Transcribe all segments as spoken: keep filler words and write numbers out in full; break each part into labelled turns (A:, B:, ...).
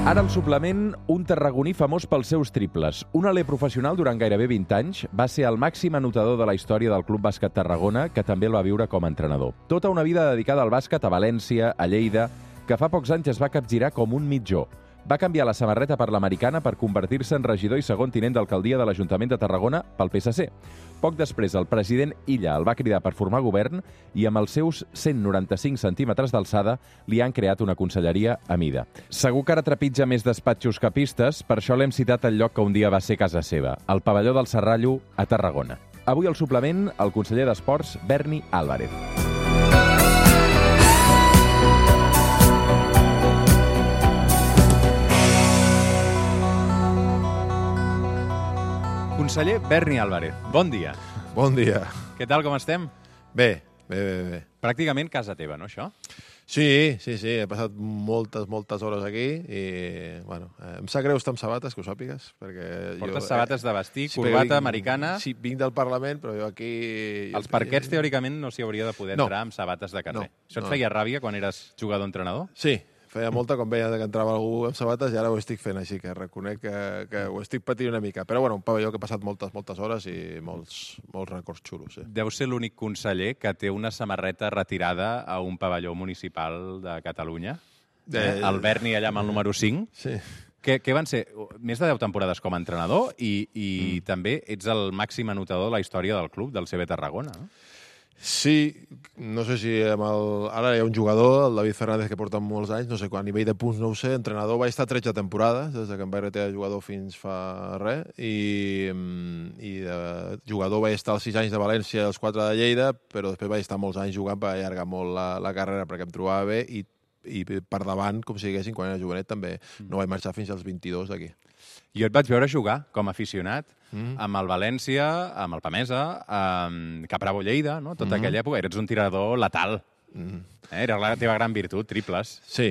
A: Ara al suplement, un tarragoní famós pels seus triples. Un aler professional durant gairebé vint anys, va ser el màxim anotador de la història del Club Bàsquet Tarragona, que també el va viure com a entrenador. Tota una vida dedicada al bàsquet a València, a Lleida, que fa pocs anys es va capgirar com un mitjó. Va canviar la samarreta per l'americana per convertir-se en regidor i segon tinent d'alcaldia de l'Ajuntament de Tarragona pel P S C. Poc després, el president Illa el va cridar per formar govern i amb els seus cent noranta-cinc centímetres d'alçada li han creat una conselleria a mida. Segur que ara trepitja més despatxos que pistes, per això l'hem citat al lloc que un dia va ser casa seva, el pavelló del Serrallo, a Tarragona. Avui al suplement, el conseller d'Esports, Berni Álvarez. Conseller Berni Álvarez, bon dia.
B: Bon dia.
A: Què tal, com estem?
B: Bé, bé, bé, bé.
A: Pràcticament casa teva, no, això?
B: Sí, sí, sí, he passat moltes, moltes hores aquí i, bueno, em sap greu estar amb sabates, que ho sàpigues, perquè...
A: Portes
B: jo,
A: sabates de vestir,
B: sí,
A: corbata
B: vinc,
A: americana...
B: Sí, vinc del Parlament, però jo aquí...
A: Els parquets, teòricament, no s'hi hauria de poder
B: no.
A: entrar amb sabates de carrer.
B: No,
A: Això et
B: no.
A: feia ràbia quan eres jugador-entrenador?
B: Sí, feia molta quan veia que entrava algú amb sabates i ara ho estic fent així, que reconec que, que ho estic patint una mica. Però bueno, un pavelló que he passat moltes, moltes hores i molts, molts records xulos. Sí.
A: Deu ser l'únic conseller que té una samarreta retirada a un pavelló municipal de Catalunya. Eh, el Berni allà amb el número cinc.
B: Sí.
A: Què, què van ser? Més de deu temporades com a entrenador i, i mm. també ets el màxim anotador de la història del club, del C B Tarragona, no?
B: Sí, no sé si amb el... ara hi ha un jugador, el David Fernández, que porta molts anys, no sé, a nivell de punts no ho sé, entrenador va estar tretze temporades, des que em vaig retirar de jugador fins fa res, i, i de jugador vaig estar els sis anys de València i els quatre de Lleida, però després vaig estar molts anys jugant per allargar molt la, la carrera perquè em trobava bé, i, i per davant, com si diguéssim, quan era jovenet, també no vaig marxar fins als vint-i-dos d'aquí.
A: Jo et vaig veure jugar com a aficionat
B: Mm.
A: amb el València, amb el Pamesa, amb Capravo Lleida, no? Tota
B: Mm.
A: aquella època. Eres un tirador letal.
B: Mm.
A: Eh? Era la teva gran virtut, triples.
B: Sí,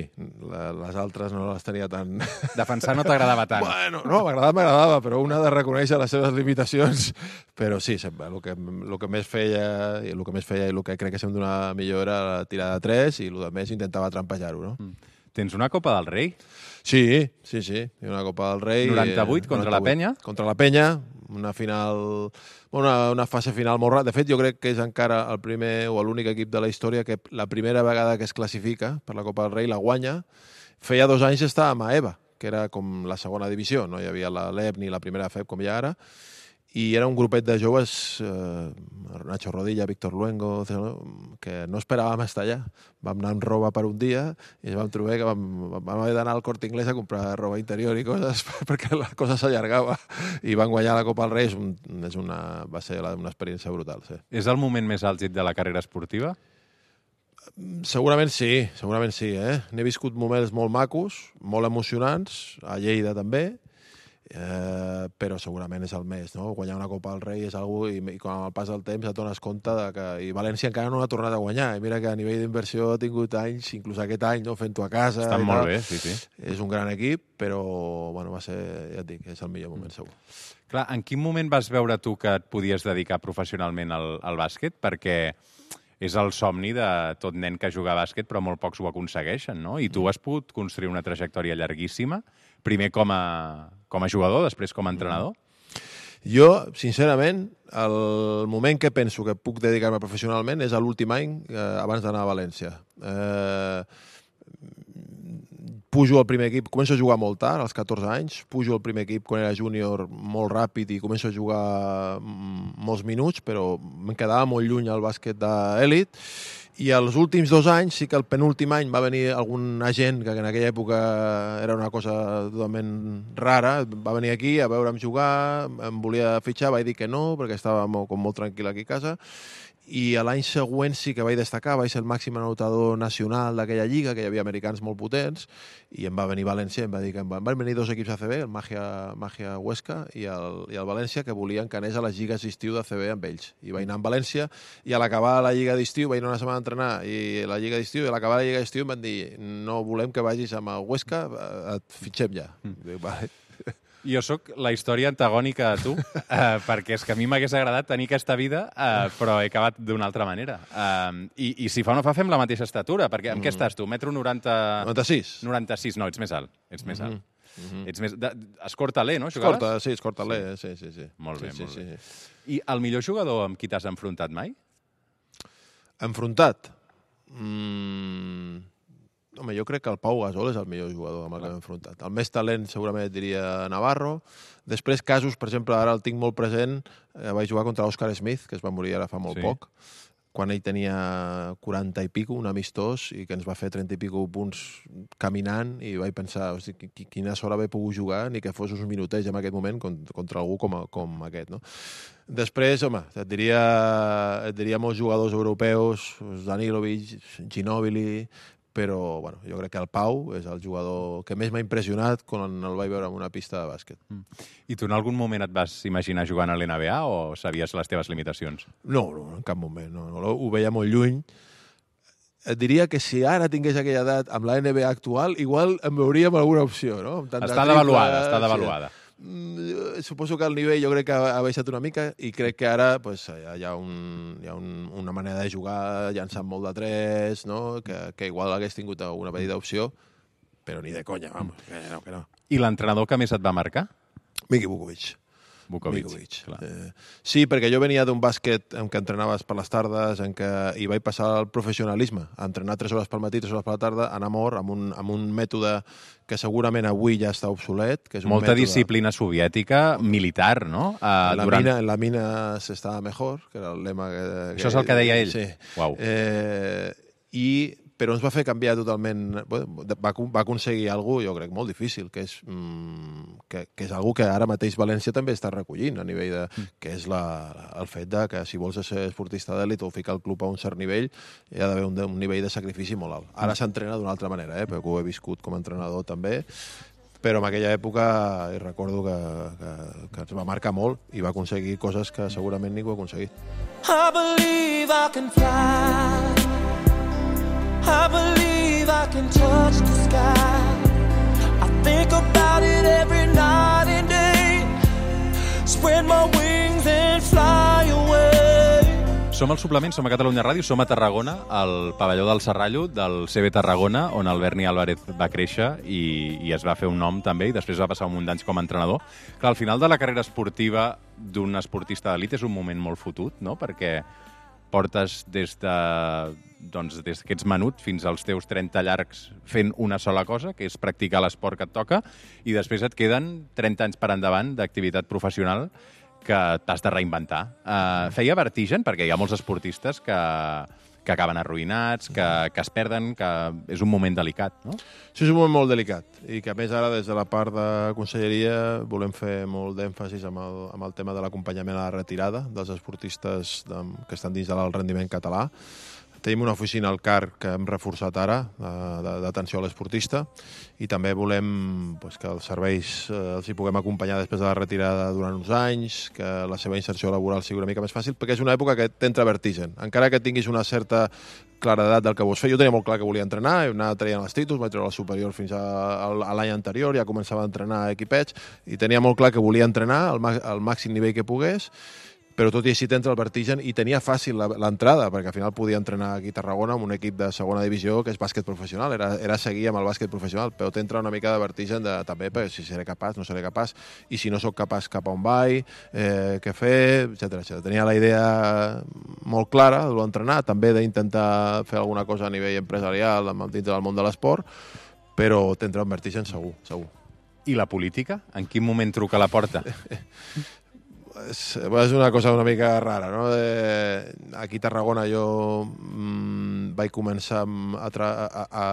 B: la, les altres no les tenia tan...
A: Defensar no t'agradava tant.
B: Bueno, no, m'agradava, m'agradava, però un ha de reconèixer les seves limitacions. Però sí, sempre, el que, el que més feia, i el que més feia i el que crec que se'm donava millor era la tirada de tres i el que més intentava trampejar-ho, no?
A: Mm. Tens una Copa del Rei?
B: Sí, sí, sí. Hi ha una Copa del Rei.
A: noranta-vuit contra la Penya?
B: Contra la Penya, una final... Una, una fase final molt rara. De fet, jo crec que és encara el primer o l'únic equip de la història que la primera vegada que es classifica per la Copa del Rei la guanya. Feia dos anys estàvem a EVA, que era com la segona divisió. No hi havia la LEP ni la primera F E P com hi ha ara. I era un grupet de joves, eh, Nacho Rodilla, Víctor Luengo, que no esperàvem estar allà. Vam anar amb roba per un dia i vam trobar que vam, vam haver d'anar al Corte Inglés a comprar roba interior i coses perquè la cosa s'allargava. I van guanyar la Copa del Rei. És un, és una, va ser una experiència brutal. Sí.
A: És el moment més àlgid de la carrera esportiva?
B: Segurament sí, segurament sí. Eh? N'he viscut moments molt macos, molt emocionants, a Lleida també, Eh, però segurament és el més, no? Guanyar una Copa del Rei és algú i, i quan amb el pas del temps et dones compte de que i València encara no ha tornat a guanyar i mira que a nivell d'inversió ha tingut anys, inclús aquest any, no? Fent-ho a casa.
A: Està molt bé, sí, sí.
B: És un gran equip, però bueno, va ser, ja et dic, és el millor moment segur.
A: Clar, en quin moment vas veure tu que et podies dedicar professionalment al, al bàsquet? Perquè és el somni de tot nen que juga a bàsquet, però molt pocs ho aconsegueixen, no? I tu has pogut construir una trajectòria llarguíssima, primer com a, com a jugador, després com a entrenador?
B: Jo, sincerament, el moment que penso que puc dedicar-me professionalment és l'últim any eh, abans d'anar a València. Eh, pujo al primer equip, començo a jugar molt tard, als catorze anys, pujo al primer equip quan era júnior molt ràpid i començo a jugar molts minuts, però em quedava molt lluny al bàsquet d'elit. I els últims dos anys, sí que el penúltim any va venir algun agent, que en aquella època era una cosa totalment rara, va venir aquí a veure'm jugar, em volia fitxar, vaig dir que no, perquè estava molt, com molt tranquil aquí a casa, i l'any següent sí que vaig destacar, vaig ser el màxim anotador nacional d'aquella lliga, que hi havia americans molt potents, i em va venir València, em va dir que em van, van venir dos equips A C B, el Magia, Magia Huesca i el, i el València, que volien que anés a les lligues d'estiu d'A C B amb ells. I vaig anar amb València, i a l'acabar la lliga d'estiu, vaig anar una setmana a entrenar, i la lliga d'estiu, i a l'acabar la lliga d'estiu em van dir no volem que vagis amb el Huesca, et fitxem ja. Mm. Dic, vale.
A: Jo sóc la història antagònica a tu, eh, perquè és que a mi m'hagués agradat tenir aquesta vida, eh, però he acabat d'una altra manera. Eh, i, I si fa o no fa, fem la mateixa estatura, perquè amb mm. què estàs tu? Metro noranta...
B: noranta-sis.
A: noranta-sis, no, ets més alt. Ets més alt. Mm -hmm.
C: Mm-hmm. Ets més... De... Escortaler, no? Jugaves?
B: Escorta, sí, escortaler, sí, sí, sí.
C: Molt bé,
B: sí,
C: molt
B: sí,
C: bé.
B: Sí.
C: I el millor jugador amb qui t'has enfrontat mai?
B: Enfrontat? Mm... Home, jo crec que el Pau Gasol és el millor jugador amb el que m'he enfrontat. El més talent segurament et diria Navarro. Després casos, per exemple, ara el tinc molt present, eh, vaig jugar contra l'Òscar Smith, que es va morir ara fa molt
C: Sí.
B: poc, quan ell tenia quaranta i pico, un amistós, i que ens va fer trenta i pico punts caminant, i vaig pensar, hosti, quina sort haver pogut jugar, ni que fos uns minutets en aquest moment contra algú com, a, com aquest, no? Després, home, et diria, et diria molts jugadors europeus, Danilovic, Ginóbili, però bueno, jo crec que el Pau és el jugador que més m'ha impressionat quan el vaig veure en una pista de bàsquet.
C: Mm. I tu en algun moment et vas imaginar jugant a l'N B A o sabies les teves limitacions?
B: No, no, en cap moment. No, no, ho veia molt lluny. Et diria que si ara tingués aquella edat amb la N B A actual, igual em veuria amb alguna opció, no? Amb
C: està devaluada, està devaluada.
B: Sí. Suposo que el nivell jo crec que ha baixat una mica i crec que ara pues, hi ha, un, hi ha un, una manera de jugar llançant molt de tres, no? que, que igual hagués tingut una petita opció, però ni de conya, vamos, que no, que no.
C: I l'entrenador que més et va marcar?
B: Miki Vukovic.
C: Vukovic,
B: Vukovic. Eh, sí, perquè jo venia d'un bàsquet en què entrenaves per les tardes, en què hi vaig passar al professionalisme, a entrenar tres hores pel matí, tres hores per la tarda, anar a mort, amb un, amb un mètode que segurament avui ja està obsolet. Que és un
C: Molta
B: mètode...
C: disciplina soviètica, militar, no? Uh,
B: en, la
C: durant...
B: mina, en la mina s'estava mejor, que era el lema que...
C: Això és el que deia ell?
B: Sí.
C: Uau.
B: Eh, i però ens va fer canviar totalment... Va, va aconseguir alguna cosa, jo crec, molt difícil, que és, mm, que, que és alguna que ara mateix València també està recollint a nivell de... Mm. que és la, el fet de que si vols ser esportista d'èlit o ficar el club a un cert nivell, hi ha d'haver un, un nivell de sacrifici molt alt. Ara mm. s'entrena d'una altra manera, eh, perquè ho he viscut com a entrenador també, però en aquella època hi recordo que, que, que ens va marcar molt i va aconseguir coses que segurament ningú ha aconseguit.
D: I believe I can fly. I believe I can touch the sky. I think about it every night and day. Spread my wings and fly away.
C: Som al suplement, som a Catalunya Ràdio, som a Tarragona, al pavelló del Serrallo, del C B Tarragona, on el Berni Álvarez va créixer i, i es va fer un nom també, i després va passar un munt d'anys com a entrenador. Clar, al final de la carrera esportiva d'un esportista d'elit és un moment molt fotut, no?, perquè portes des de doncs, des que ets menut fins als teus trenta llargs fent una sola cosa, que és practicar l'esport que et toca, i després et queden trenta anys per endavant d'activitat professional que t'has de reinventar. Uh, feia vertigen, perquè hi ha molts esportistes que, que acaben arruïnats, que, que es perden, que és un moment delicat, no?
B: Sí, és un moment molt delicat, i que a més ara des de la part de conselleria volem fer molt d'èmfasis amb el, amb el tema de l'acompanyament a la retirada dels esportistes de, que estan dins de l'alt rendiment català. Tenim una oficina al C A R que hem reforçat ara, d'atenció a l'esportista, i també volem pues, que els serveis eh, els hi puguem acompanyar després de la retirada durant uns anys, que la seva inserció laboral sigui una mica més fàcil, perquè és una època que t'entra vertigen. Encara que tinguis una certa claredat del que vols fer. Jo tenia molt clar que volia entrenar, he anat traient els títols, vaig treure el superior fins a, a l'any anterior, ja començava a entrenar a equipets, i tenia molt clar que volia entrenar al, al màxim nivell que pogués, però tot i així t'entra el vertigen, i tenia fàcil l'entrada, perquè al final podia entrenar aquí a Tarragona amb un equip de segona divisió que és bàsquet professional, era, era seguir amb el bàsquet professional, però t'entra una mica de vertigen de, també, perquè si seré capaç, no seré capaç, i si no sóc capaç, cap a on vaig, eh, què fer, etcètera, etcètera. Tenia la idea molt clara de l'entrenar, també d'intentar fer alguna cosa a nivell empresarial dintre del món de l'esport, però t'entra un vertigen segur, segur.
C: I la política? En quin moment truca a la porta?
B: És, és una cosa una mica rara, no? De, aquí a Tarragona jo mmm, vaig començar a, tra a, a,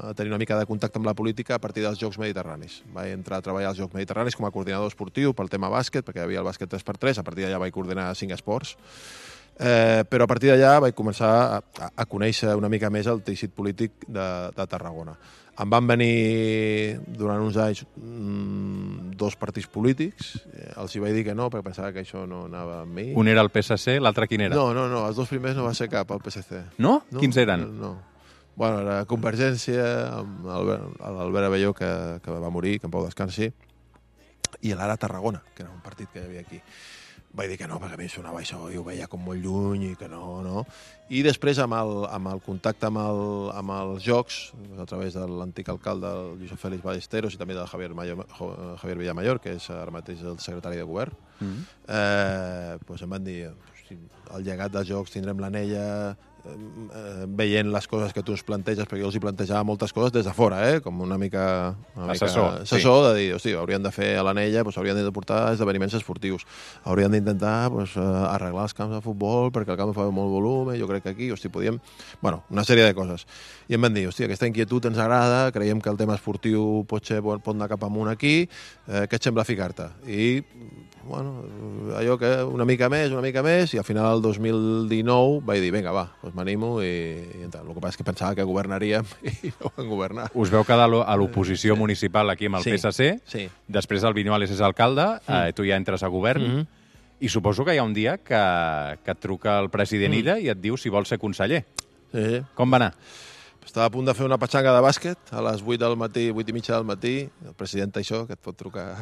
B: a tenir una mica de contacte amb la política a partir dels Jocs Mediterranis. Vaig entrar a treballar als Jocs Mediterranis com a coordinador esportiu pel tema bàsquet, perquè hi havia el bàsquet tres per tres, a partir d'allà vaig coordinar cinc esports. Eh, però a partir d'allà vaig començar a, a, a conèixer una mica més el teixit polític de, de Tarragona. Em van venir durant uns anys mmm, dos partits polítics, eh, els hi vaig dir que no, perquè pensava que això no anava amb mi.
C: Un era el P S C, l'altre quin era?
B: No, no, no, els dos primers no va ser cap, el P S C.
C: No?
B: no?
C: Quins eren?
B: No. Bueno, era Convergència, amb l'Albert Abelló, que, que va morir, que en pau descansi, i l'Ara Tarragona, que era un partit que hi havia aquí. vaig dir que no, perquè a mi sonava això i ho veia com molt lluny i que no, no. I després, amb el, amb el contacte amb, el, amb els jocs, a través de l'antic alcalde, el Josep Félix Ballesteros, i també del Javier, Mayor, Javier Villamayor, que és ara mateix el secretari de govern, mm-hmm. eh, doncs em van dir, el llegat dels jocs tindrem l'anella, eh, veient les coses que tu ens planteges, perquè jo els hi plantejava moltes coses des de fora, eh? Com una mica, una mica
C: assessor,
B: assessor sí. De dir, hosti, haurien de fer a l'anella, doncs, haurien de portar esdeveniments esportius, haurien d'intentar doncs, arreglar els camps de futbol perquè el camp fa molt volum, jo crec que aquí, hosti, podíem... Bueno, una sèrie de coses. I em van dir, hosti, aquesta inquietud ens agrada, creiem que el tema esportiu pot, ser, pot anar cap amunt aquí, eh, què et sembla ficar-te? I bueno, allò que una mica més, una mica més, i al final del dos mil dinou vaig dir, vinga, va, doncs m'animo, i, i el que passa és que pensava que governaríem i no van governar.
C: Us veu quedar a l'oposició municipal aquí amb el
B: sí,
C: P S C,
B: sí.
C: Després el Viñuales és alcalde, mm. eh, tu ja entres a govern, mm -hmm. i suposo que hi ha un dia que, que et truca el president mm. Illa i et diu si vols ser conseller.
B: Sí.
C: Com va anar?
B: Estava a punt de fer una petxanga de bàsquet a les vuit del matí, vuit i mitja del matí. El president això, que et pot trucar...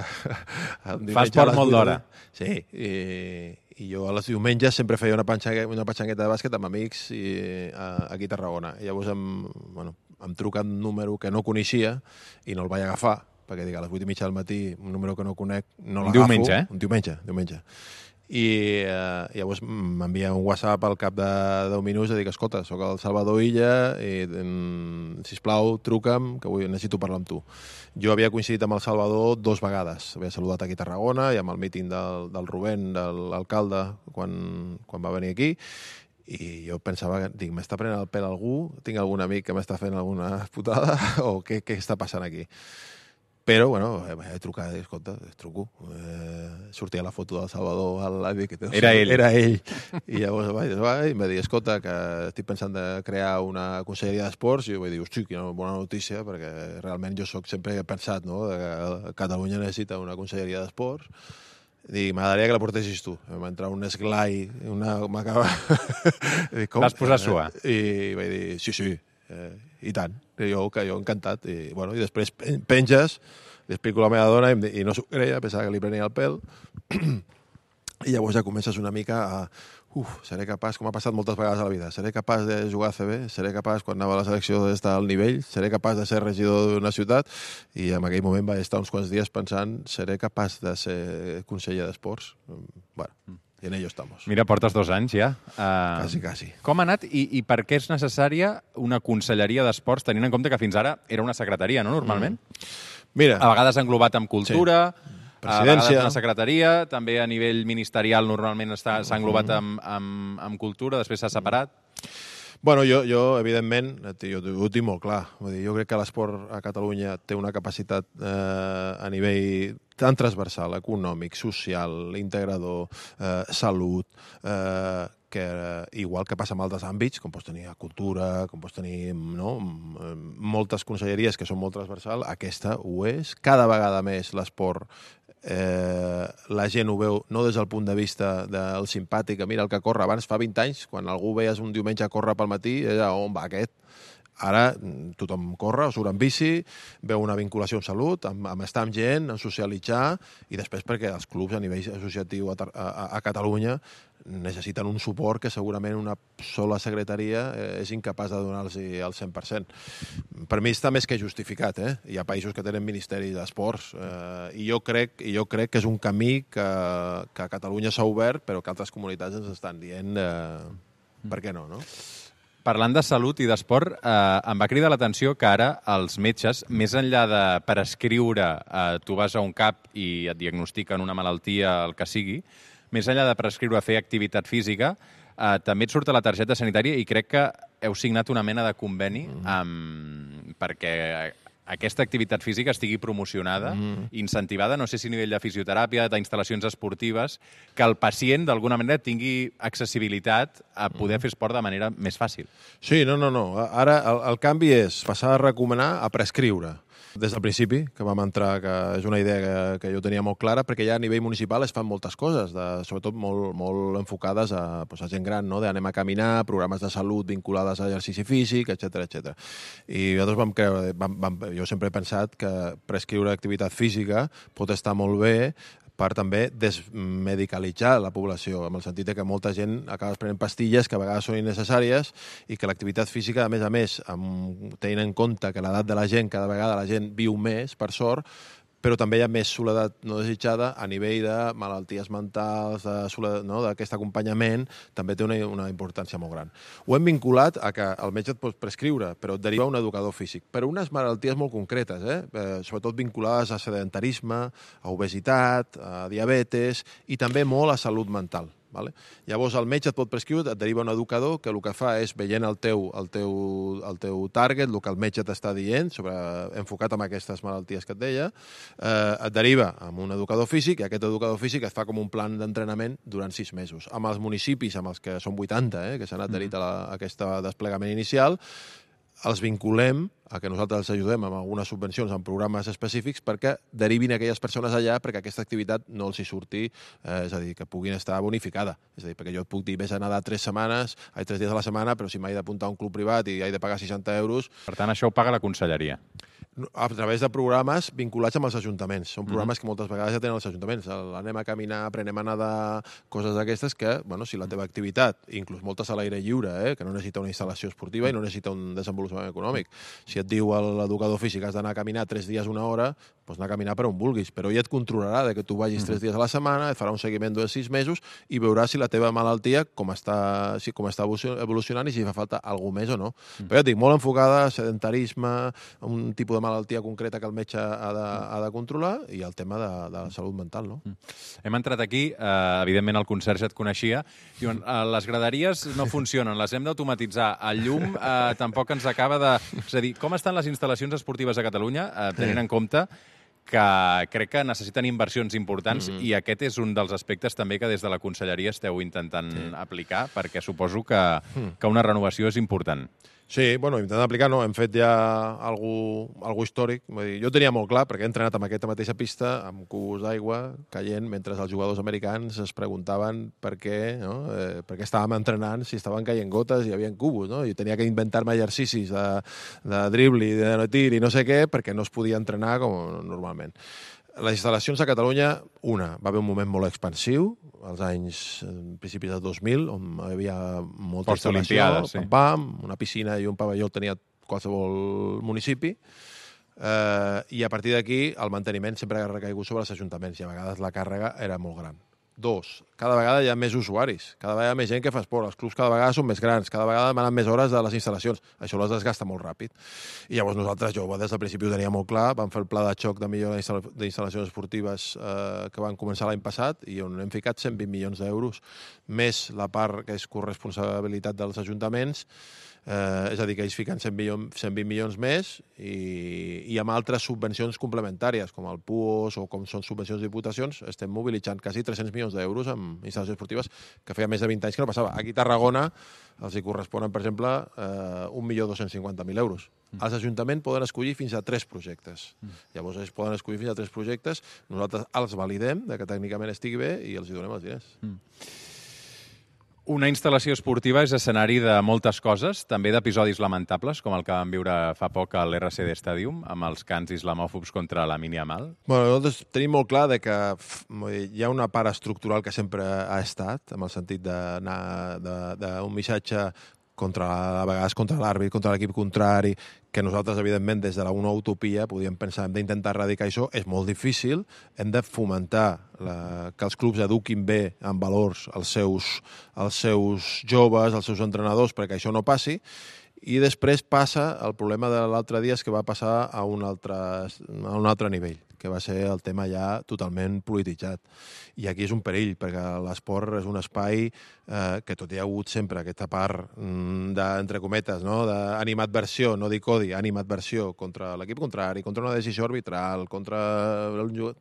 C: Fa esport molt d'hora.
B: Sí, i, i jo a les diumenges sempre feia una, petxanga, una petxangueta de bàsquet amb amics i, a, aquí a Tarragona. I llavors em, bueno, em truca un número que no coneixia i no el vaig agafar, perquè dic, a les vuit i mitja del matí, un número que no conec, no l'agafo.
C: Un diumenge, eh?
B: Un diumenge, diumenge. I eh, llavors m'envia un WhatsApp al cap de deu minuts i dic, escolta, sóc el Salvador Illa i, mm, sisplau, truca'm, que vull, necessito parlar amb tu. Jo havia coincidit amb el Salvador dos vegades. Havia saludat aquí a Tarragona i amb el míting del, del Rubén, de l'alcalde, quan, quan va venir aquí, i jo pensava, dic, m'està prenent el pèl algú? Tinc algun amic que m'està fent alguna putada? O què, què està passant aquí? Però, bueno, he trucat, escolta, truco. Eh, sortia la foto del Salvador al l'avi.
C: Era ell.
B: Era ell. I llavors vaig, vaig, i em va dir, escolta, que estic pensant de crear una conselleria d'esports. I jo vaig dir, hosti, quina bona notícia, perquè realment jo soc sempre he pensat, no?, que Catalunya necessita una conselleria d'esports. Dic, m'agradaria que la portessis tu. Em va entrar un esglai, una... m'acaba...
C: Vas posar a suar.
B: I vaig dir, sí, sí, eh, i tant. I jo, que jo encantat. I, bueno, i després penges, li explico a la meva dona i, i no s'ho creia, pensava que li prenia el pèl. I llavors ja comences una mica a... Uf, seré capaç, com ha passat moltes vegades a la vida, seré capaç de jugar a C B, seré capaç, quan anava a la selecció, d'estar al nivell, seré capaç de ser regidor d'una ciutat, i en aquell moment vaig estar uns quants dies pensant, seré capaç de ser conseller d'esports. Bueno, i en ello estamos.
C: Mira, portes dos anys ja. Uh,
B: quasi, quasi.
C: Com ha anat i, i per què és necessària una conselleria d'esports, tenint en compte que fins ara era una secretaria, no?, normalment? Mm.
B: Mira.
C: A vegades englobat amb cultura... Sí.
B: Presidència.
C: A vegades una secretaria, també a nivell ministerial normalment s'ha englobat amb, amb, amb cultura, després s'ha separat.
B: Bueno, jo, jo evidentment, jo, jo ho tinc molt clar. Vull dir, jo crec que l'esport a Catalunya té una capacitat eh, a nivell tan transversal, econòmic, social, integrador, eh, salut, eh, que eh, igual que passa en altres àmbits, com pots tenir a cultura, com pots tenir, no?, moltes conselleries que són molt transversal, aquesta ho és. Cada vegada més l'esport Eh, la gent ho veu no des del punt de vista del simpàtic, mira el que corre. Abans, fa vint anys, quan algú veies un diumenge a córrer pel matí, era on va aquest? Ara tothom corre, surt amb bici, veu una vinculació amb salut, amb, amb estar amb gent, amb socialitzar, i després perquè els clubs a nivell associatiu a, a, a Catalunya necessiten un suport que segurament una sola secretaria eh, és incapaç de donar-los al cent per cent. Per mi està més que justificat, eh? Hi ha països que tenen ministeri d'esports, eh, i jo crec, i jo crec que és un camí que, que a Catalunya s'ha obert, però que altres comunitats ens estan dient eh, per què no, no?
C: Parlant de salut i d'esport, eh, em va cridar l'atenció que ara els metges, més enllà de prescriure, eh, tu vas a un cap i et diagnostiquen una malaltia, el que sigui, més enllà de prescriure fer activitat física, eh, també et surt a la targeta sanitària i crec que heu signat una mena de conveni amb, perquè aquesta activitat física estigui promocionada, mm. incentivada, no sé si a nivell de fisioteràpia, d'instal·lacions esportives, que el pacient, d'alguna manera, tingui accessibilitat a poder mm. fer esport de manera més fàcil.
B: Sí, no, no, no. Ara el, el canvi és passar a recomanar a prescriure. Des del principi, que vam entrar, que és una idea que, que jo tenia molt clara, perquè ja a nivell municipal es fan moltes coses, de, sobretot molt, molt enfocades a, pues, a gent gran, no?, d'anem a caminar, programes de salut vinculades a exercici físic, etcètera, etcètera. I nosaltres vam creure, vam, vam, jo sempre he pensat que prescriure activitat física pot estar molt bé per també desmedicalitzar la població, en el sentit que molta gent acaba prenent pastilles que a vegades són innecessàries i que l'activitat física, a més a més, amb, tenint en compte que l'edat de la gent, cada vegada la gent viu més, per sort, però també hi ha més soledat no desitjada a nivell de malalties mentals, de soledat, no? D'aquest acompanyament, també té una, una importància molt gran. Ho hem vinculat a que el metge et pot prescriure, però et deriva un educador físic, per unes malalties molt concretes, eh? Eh, sobretot vinculades a sedentarisme, a obesitat, a diabetes i també molt a salut mental. Vale? Llavors el metge et pot prescriure, et deriva un educador que el que fa és, veient el teu, el teu, el teu target, el que el metge t'està dient, sobre, enfocat en aquestes malalties que et deia, eh, et deriva amb un educador físic i aquest educador físic et fa com un plan d'entrenament durant sis mesos. Amb els municipis, amb els que són vuitanta, eh, que s'han adherit a, la, a aquest desplegament inicial, els vinculem a que nosaltres els ajudem amb algunes subvencions en programes específics perquè derivin aquelles persones allà perquè aquesta activitat no els hi surti, eh, és a dir, que puguin estar bonificada. És a dir, perquè jo et puc dir, vés a nedar tres setmanes, ai, tres dies a la setmana, però si m'he d'apuntar a un club privat i he de pagar seixanta euros...
C: Per tant, això ho paga la conselleria.
B: A través de programes vinculats amb els ajuntaments. Són programes mm-hmm. que moltes vegades ja tenen els ajuntaments. Anem a caminar, aprenem a nedar, coses d'aquestes que, bueno, si la teva activitat, inclús moltes a l'aire lliure, eh, que no necessita una instal·lació esportiva i no necessita un desenvolupament econòmic. Si et diu l'educador físic que has d'anar a caminar tres dies una hora, doncs anar a caminar per on vulguis, però ell et controlarà de que tu vagis tres dies a la setmana, et farà un seguiment de sis mesos i veurà si la teva malaltia com està, si, com està evolucionant i si fa falta alguna més o no. Mm. Però ja et dic, molt enfocada a sedentarisme, un tipus de malaltia concreta que el metge ha de, ha de controlar i el tema de, de la salut mental, no?
C: Mm. Hem entrat aquí, eh, evidentment el conserge et coneixia, diuen, eh, les graderies no funcionen, les hem d'automatitzar, el llum eh, tampoc ens acaba de... És a dir, com estan les instal·lacions esportives a Catalunya, eh, tenint en compte que crec que necessiten inversions importants mm-hmm. i aquest és un dels aspectes també que des de la conselleria esteu intentant sí. aplicar, perquè suposo que, mm. que una renovació és important.
B: Sí, bueno, intentant aplicar, no, hem fet ja algú, algú històric. Vull dir, jo tenia molt clar, perquè he entrenat amb aquesta mateixa pista, amb cubos d'aigua caient, mentre els jugadors americans es preguntaven per què, no? eh, per què estàvem entrenant si estaven caient gotes i hi havia cubos, no? I tenia que inventar-me exercicis de, de dribble, de tir i no sé què, perquè no es podia entrenar com normalment. Les instal·lacions a Catalunya, una, va haver un moment molt expansiu, als anys, en principis del dos mil, on hi havia molta instal·lació, sí. pam, pam, una piscina i un pavelló tenia qualsevol municipi, eh, i a partir d'aquí el manteniment sempre ha recaigut sobre els ajuntaments i a vegades la càrrega era molt gran. Dos, cada vegada hi ha més usuaris, cada vegada hi ha més gent que fa esport, els clubs cada vegada són més grans, cada vegada demanen més hores de les instal·lacions, això les desgasta molt ràpid. I llavors nosaltres, jo des del principi ho tenia molt clar, vam fer el pla de xoc de millora d'instal·lacions esportives eh, que van començar l'any passat i on hem ficat cent vint milions d'euros, més la part que és corresponsabilitat dels ajuntaments, Eh, és a dir, que ells fiquen cent vint milions més i, i amb altres subvencions complementàries, com el P U O S o com són subvencions de diputacions, estem mobilitzant quasi tres-cents milions d'euros en instal·lacions esportives que feia més de vint anys que no passava. Aquí a Tarragona els hi corresponen, per exemple, eh, un milió dos-cents cinquanta mil euros. Mm. Els ajuntaments poden escollir fins a tres projectes. Mm. Llavors ells poden escollir fins a tres projectes, nosaltres els validem de que tècnicament estigui bé i els hi donem els diners. Mm.
C: Una instal·lació esportiva és escenari de moltes coses, també d'episodis lamentables, com el que vam viure fa poc a l'R C D Stadium, amb els cants islamòfobs contra la Yamal.
B: Bueno, nosaltres tenim molt clar de que hi ha una part estructural que sempre ha estat, en el sentit d'anar d'un missatge contra, a vegades contra l'àrbit, contra l'equip contrari, que nosaltres, evidentment, des de la una utopia podíem pensar, hem d'intentar erradicar això, és molt difícil, hem de fomentar la, que els clubs eduquin bé en valors els seus, els seus joves, els seus entrenadors, perquè això no passi, i després passa el problema de l'altre dia és que va passar a un altre, a un altre nivell, que va ser el tema ja totalment polititzat. I aquí és un perill, perquè l'esport és un espai eh, que tot hi ha hagut sempre aquesta part mm, d'entre cometes, no? d'animadversió, no dic odi, animadversió contra l'equip contrari, contra una decisió arbitral, contra el jugador.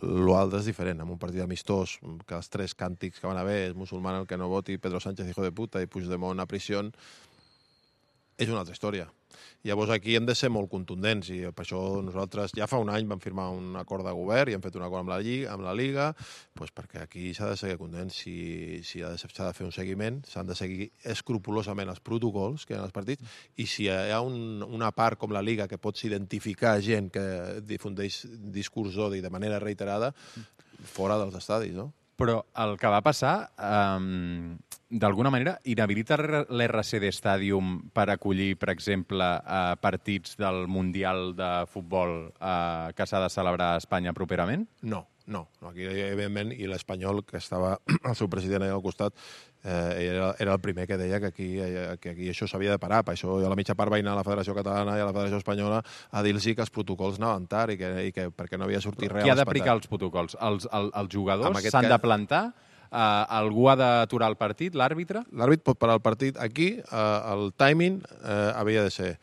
B: L'altre és diferent, amb un partit amistós, que els tres càntics que van haver és musulmà el que no voti, Pedro Sánchez hijo de puta i Puigdemont a prisió, és una altra història. Llavors aquí hem de ser molt contundents i per això nosaltres ja fa un any vam firmar un acord de govern i hem fet un acord amb la Lliga, amb la Liga doncs perquè aquí s'ha de ser contents, si, si s'ha de fer un seguiment, s'han de seguir escrupolosament els protocols que hi ha als partits i si hi ha un, una part com la Liga que pots identificar gent que difundeix discurs d'odi de manera reiterada, fora dels estadis, no?
C: Però el que va passar, um, d'alguna manera, inhabilita l'R C D Stadium per acollir, per exemple, uh, partits del Mundial de Futbol uh, que s'ha de celebrar a Espanya properament?
B: No, no. Aquí, evidentment, i l'Espanyol, que estava el seu president allà al costat, eh, era, era el primer que deia que aquí, que aquí això s'havia de parar. Per això a la mitja part va anar a la Federació Catalana i a la Federació Espanyola a dir-los que els protocols anaven tard i que, i que perquè no havia sortit res.
C: Qui ha d'aplicar els protocols? Els, el, els jugadors s'han
B: cas...
C: de plantar? Uh, algú ha d'aturar el partit? L'àrbitre?
B: L'àrbitre pot parar el partit. Aquí uh, el timing uh, havia de ser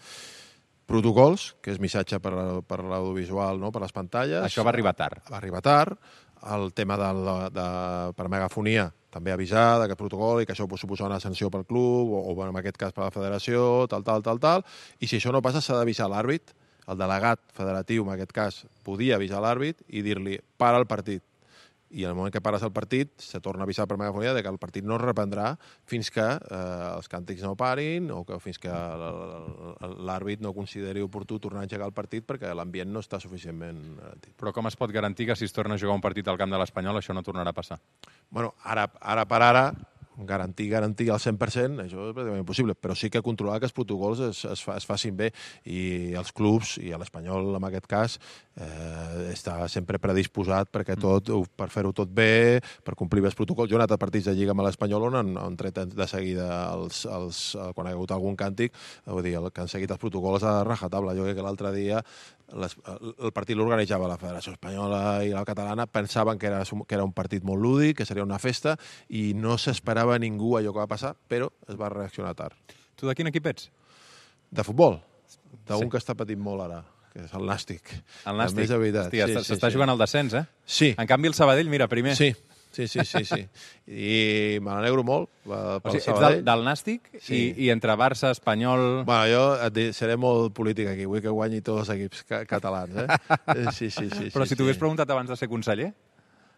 B: protocols, que és missatge per, per l'audiovisual, no? Per les pantalles.
C: Això va arribar tard.
B: Va arribar tard. El tema de, de, de per megafonia, també avisar d'aquest protocol i que això pot suposar una sanció pel club o, o en aquest cas per la federació, tal, tal, tal, tal. I si això no passa, s'ha d'avisar l'àrbit. El delegat federatiu, en aquest cas, podia avisar l'àrbit i dir-li para el partit. I en el moment que pares el partit, se torna a avisar per megafonia de que el partit no es reprendrà fins que eh, els càntics no parin o que fins que l'àrbit no consideri oportú tornar a engegar el partit perquè l'ambient no està suficientment garantit.
C: Però com es pot garantir que si es torna a jugar un partit al camp de l'Espanyol això no tornarà a passar?
B: Bueno, ara, ara per ara, garantir, garantir al cent per cent, això és pràcticament impossible, però sí que controlar que els protocols es, es, fa, es facin bé i els clubs, i l'Espanyol en aquest cas, eh, està sempre predisposat perquè tot, per fer-ho tot bé, per complir bé els protocols. Jo he anat a partits de Lliga amb l'Espanyol on han, han tret de seguida els, els, quan ha hagut algun càntic, vull dir, el, que han seguit els protocols a rajatabla. Jo crec que l'altre dia les, el partit l'organitzava la Federació Espanyola i la Catalana, pensaven que era, que era un partit molt lúdic, que seria una festa, i no s'esperava ningú allò que va passar, però es va reaccionar tard.
C: Tu de quin equip ets?
B: De futbol. D'un
C: Sí.
B: que està patint molt ara, que és el Nàstic.
C: El Nàstic?
B: Més de veritat.
C: Hòstia,
B: sí,
C: s'està
B: sí,
C: jugant
B: sí.
C: al descens, eh?
B: Sí.
C: En canvi, el Sabadell, mira, primer.
B: Sí, sí, sí, sí, sí. I me n'alegro molt pel
C: O sigui, ets
B: Sabadell.
C: del, del Nàstic
B: Sí.
C: i, i entre Barça, Espanyol...
B: Bueno, jo et diré, seré molt polític aquí, vull que guanyi tots els equips ca catalans, eh? Sí, sí, sí.
C: Però
B: sí,
C: si t'ho hagués
B: sí.
C: preguntat abans de ser conseller...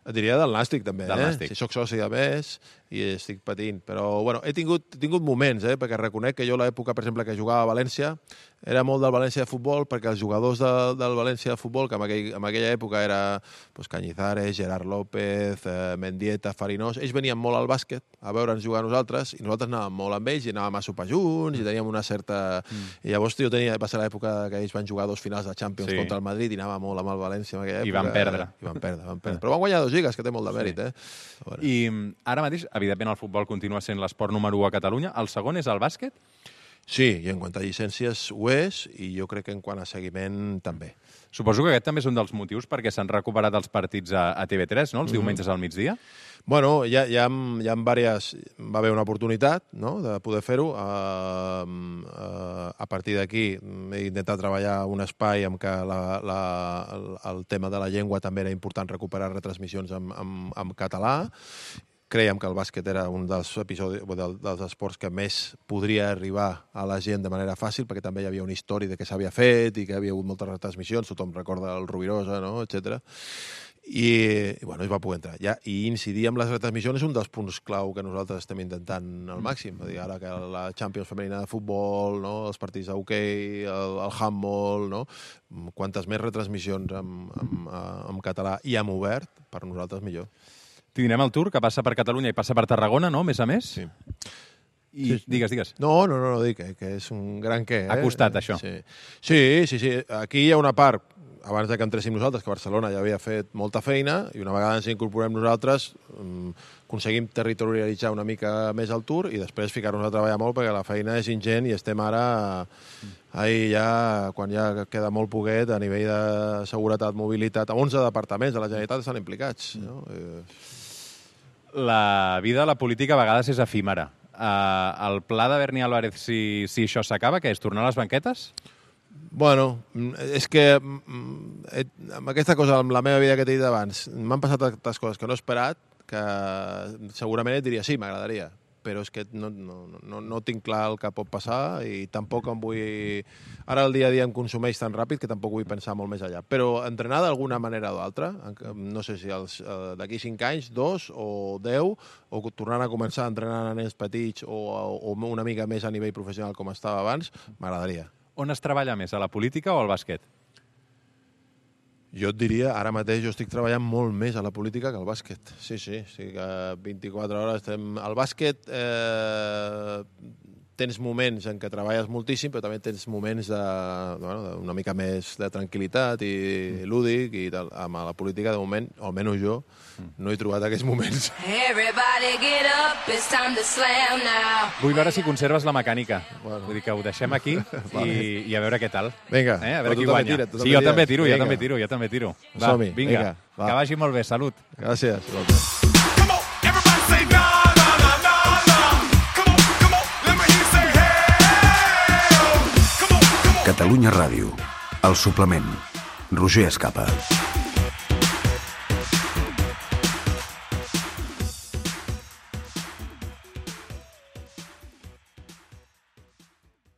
B: Et diria del Nàstic, també,
C: Del
B: eh?
C: Nàstic.
B: Si sóc soci de més i estic patint. Però, bueno, he tingut, he tingut moments, eh? Perquè reconec que jo l'època, per exemple, que jugava a València, era molt del València de futbol, perquè els jugadors de, del València de futbol, que en, aquell, en aquella època era pues, Cañizares, Gerard López, eh, Mendieta, Farinós, ells venien molt al bàsquet a veure'ns jugar a nosaltres, i nosaltres anàvem molt amb ells, i anàvem a sopar junts, i teníem una certa... Mm. I llavors jo tenia, va ser l'època que ells van jugar dos finals de Champions
C: Sí.
B: contra el Madrid, i anàvem molt amb el València en aquella època.
C: I van perdre.
B: I van perdre, van perdre. Però van guanyar dos lligues, que té molt de mèrit,
C: Sí.
B: eh? Bueno.
C: I mm, ara mateix, evidentment, el futbol continua sent l'esport número u a Catalunya. El segon és el bàsquet?
B: Sí, i en quant a llicències ho és, i jo crec que en quant a seguiment també.
C: Suposo que aquest també és un dels motius perquè s'han recuperat els partits a, a T V tres, no? Els mm. diumenges al migdia.
B: Bueno, hi ha, hi ha, hi ha diverses... Va haver una oportunitat, no?, de poder fer-ho. Uh, uh, a partir d'aquí he intentat treballar un espai en què la, la, el, el tema de la llengua també era important recuperar retransmissions en, en, en català. Creiem que el bàsquet era un dels episodis, dels esports que més podria arribar a la gent de manera fàcil, perquè també hi havia una història de què s'havia fet i que hi havia hagut moltes retransmissions, tothom recorda el Rubirosa, no?, etcètera. I, i bueno, es va poder entrar. Ja, I incidir amb les retransmissions és un dels punts clau que nosaltres estem intentant al màxim. Dir, ara que la Champions femenina de futbol, no?, els partits d'hoquei, el, el handball, no?, quantes més retransmissions en, en, en català i en obert, per nosaltres millor.
C: Tindrem el Tour, que passa per Catalunya i passa per Tarragona, no?, a més a més.
B: Sí.
C: I
B: Sí, sí.
C: digues, digues.
B: No, no, no, no dic que, que és un gran què. Eh?
C: Ha costat, això.
B: Sí. sí, sí, sí. Aquí hi ha una part, abans de que entréssim nosaltres, que Barcelona ja havia fet molta feina, i una vegada ens incorporem nosaltres, um, aconseguim territorialitzar una mica més el Tour i després ficar-nos a treballar molt perquè la feina és ingent i estem ara... Ahí ja, quan ja queda molt poquet, a nivell de seguretat, mobilitat, onze departaments de la Generalitat estan implicats. No? Eh...
C: La vida de la política a vegades és efímera. Uh, el pla de Berni Álvarez, si, si això s'acaba, què és, tornar a les banquetes?
B: Bueno, és que amb aquesta cosa, amb la meva vida que t'he dit abans, m'han passat tantes coses que no he esperat, que segurament et diria sí, m'agradaria, però és que no, no, no, no tinc clar el que pot passar i tampoc em vull... Ara el dia a dia em consumeix tan ràpid que tampoc vull pensar molt més allà. Però entrenar d'alguna manera o d'altra, no sé si els, eh, d'aquí cinc anys, dos o deu, o tornant a començar a entrenar a nens petits o, o una mica més a nivell professional com estava abans, m'agradaria.
C: On es treballa més, a la política o al bàsquet?
B: Jo et diria, ara mateix jo estic treballant molt més a la política que al bàsquet. Sí, sí, sí que vint-i-quatre hores estem... Al bàsquet eh, tens moments en què treballes moltíssim, però també tens moments de, bueno, una mica més de tranquil·litat i lúdic i tal. Amb la política, de moment, o almenys jo, no he trobat aquests moments.
D: Everybody get up, it's time to slam now.
C: Vull veure si conserves la mecànica.
B: Bueno.
C: Vull dir que ho deixem aquí i, i a veure què tal.
B: Vinga,
C: eh? A
B: però
C: veure
B: tu
C: qui
B: també
C: guanya.
B: tira, tu
C: sí,
B: també
C: jo també
B: tires.
C: tiro, jo
B: Vinga.
C: també tiro, jo també tiro. Va,
B: Som-hi,
C: vinga,
B: vinga, va.
C: que vagi molt bé, salut.
B: Gràcies.
E: Come on, everybody say na na na na na. Come on, come on, let me hear you say hey. Come on, come on.
F: Catalunya Ràdio, el suplement. Roger Escapa.